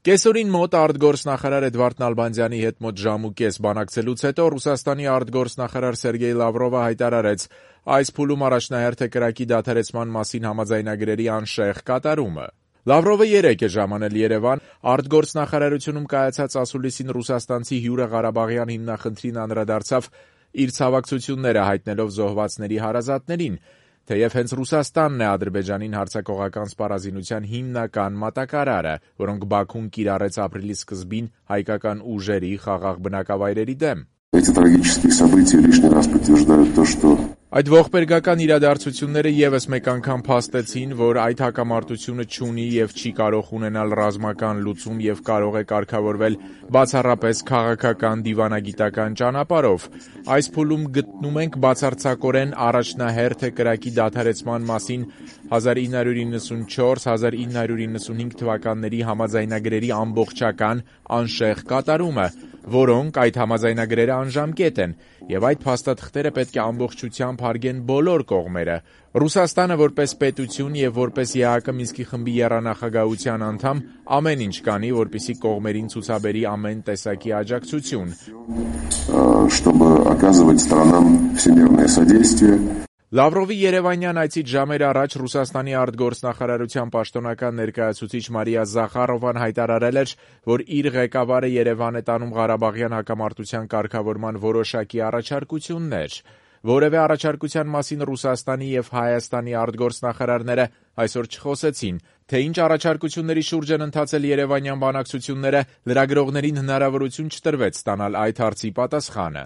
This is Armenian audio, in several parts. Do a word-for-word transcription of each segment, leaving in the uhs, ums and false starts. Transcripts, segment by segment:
Կեսօրին մոտ արտգործնախարար Էդվարդ Նալբանդյանի հետ մոտ ժամ ու կես բանակցելուց հետո Ռուսաստանի արտգործնախարար Սերգեյ Լավրովը հայտարարեց այս փուլում առաջնահերթ է կրակի դադարեցման մասին համաձայնագրերի անշեղ կատարումը։ Լավրովը երեկ է ժամանել Երևան, արտգործնախարարությունում կայացած ասուլիսին ռուսաստանցի հյուրը Ղարաբաղյան հիմնախնդրին անդրադարձավ իր ցավակցությունները հայտնելով զոհվածների հարազատներին, թեև հենց Ռուսաստանն է Ադրբեջանին հարձակողական սպառազինության հիմնական մատակարարը, որոնք Բաքուն կիրառեց ապրիլի սկզբին հայկական ուժերի խաղաղ բնակավայրերի դեմ։ Այդ ողբերգական իրադարձությունները ևս մեկ անգամ փաստեցին, որ այդ հակամարտությունը չունի եւ չի կարող ունենալ ռազմական լուծում եւ կարող է կարգավորվել բացառապես քաղաքական դիվանագիտական ճանապարհով։ Այս փուլում գտնում ենք բացարձակորեն առաջնահերթ է կրակի դադարեցման մասին հազար ինը հարյուր իննսունչորս - հազար ինը հարյուր իննսունհինգ թվականների համաձայնագրերի ամբողջական անշեղ կատարումը, որոնք այդ համաձայնագրերը անժամկետ են, եւ այդ փաստաթղթերը պետք է ամբողջությամբ հարգեն բոլոր կողմերը։ Ռուսաստանը որպես պետություն եւ որպես ԵԱՀԿ Մինսկի խմբի եռանախագահության անդամ ամեն ինչ կանի, որպեսզի կողմերին ցուցաբերի ամեն տեսակի աջակցություն։ Լավրովի երևանյան այցից ժամեր առաջ Ռուսաստանի արտգործնախարարության պաշտոնական ներկայացուցիչ Մարիա Զախարովան հայտարարել էր, որ իր ղեկավարը Երևան է տանում Ղարաբաղյան հակամարտության կարգավորման որոշակի առաջարկություններ։ Որևէ առաջարկության մասին Ռուսաստանի եւ Հայաստանի արտգործնախարարները այսօր չխոսեցին, թե ինչ առաջարկությունների շուրջ են ընթացել երևանյան բանակցությունները, լրագրողներին հնարավորություն չտրվեց ստանալ այդ հարցի պատասխանը։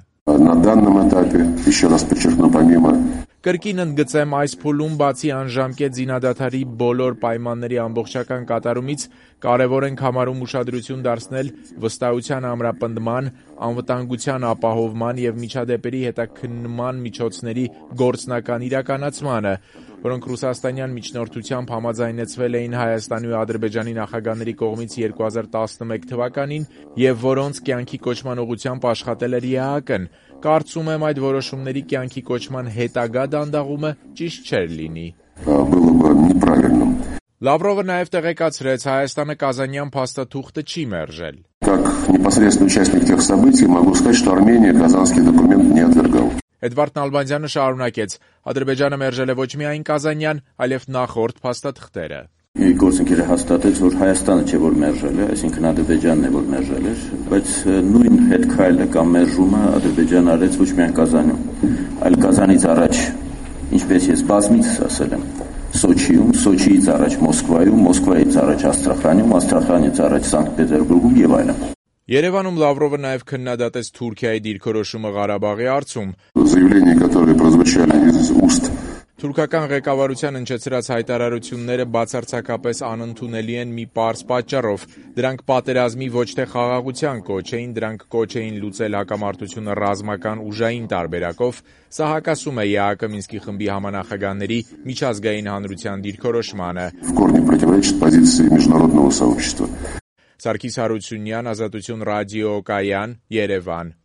Կրկին ընդգծեմ, այս փուլում բացի անժամկետ զինադադարի բոլոր պայմանների ամբողջական կատարումից կարևոր ենք համարում ուշադրություն դարձնել վստահության ամրապնդման, անվտանգության ապահովման եւ միջադեպերի հետաքննման միջոցների գործնական իրականացմանը, որոնք ռուսաստանյան միջնորդությամբ համաձայնեցվել էին Հայաստանի ու Ադրբեջանի նախագահների կողմից երկու հազար տասնմեկ թվականին եւ որոնց կյանքի կոչման ուղղությամբ աշխատել էր ԵԱՀԿ-ն։ Կարծում եմ այդ որոշումների կյանքի կոչման հետագա դանդաղումը ճիշտ չէր լինի։ Լավրովը նաև տեղեկացրեց, Հայաստանը Կազանյան փաստաթուղթը չի մերժել։ Էդվարդ Նալբանդյանը շարունակեց. Ադրբեջանը մերժել է ոչ միայն Կազանյան, այլև նախորդ փաստաթղթերը։ Գործընկերը հաստատեց, որ Հայաստանը չէ, որ մերժել է, այսինքն Ադրբեջանն է, որ մերժել էր, բայց նույն հետքայլը կամ մերժումը Ադրբեջանը արեց ոչ միայն Կազանում, այլ Կազանից առաջ, ինչպես ես բազմիցս ասել եմ, Սոչիում, Սոչիից առաջ Մոսկվայում, Մոսկվայից առաջ Աստրախանում, Աստրախանից առաջ Սանկտ Պետերբուրգում եւ այլն։ Երևանում Լավրովը նաև քննադատեց Թուրքիայի դիրքորոշումը Ղարաբաղի հարցում։ Թուրքական ղեկավարության հնչեցրած հայտարարությունները բացարձակապես անընդունելի են մի պարզ պատճառով։ Դրանք պատերազմի ոչ թե խաղաղության կոչ էին, դրանք կոչ էին լուծել հակամարտությունը ռազմական ուժային տարբերակով։ Սա հակասում է ԵԱՀԿ Մինսկի խմբի համանախագահների միջազգային հանրության դիրքորոշմանը։ Սարգիս Հարությունյան, Ազատություն ռադիո, Կայան, Երևան։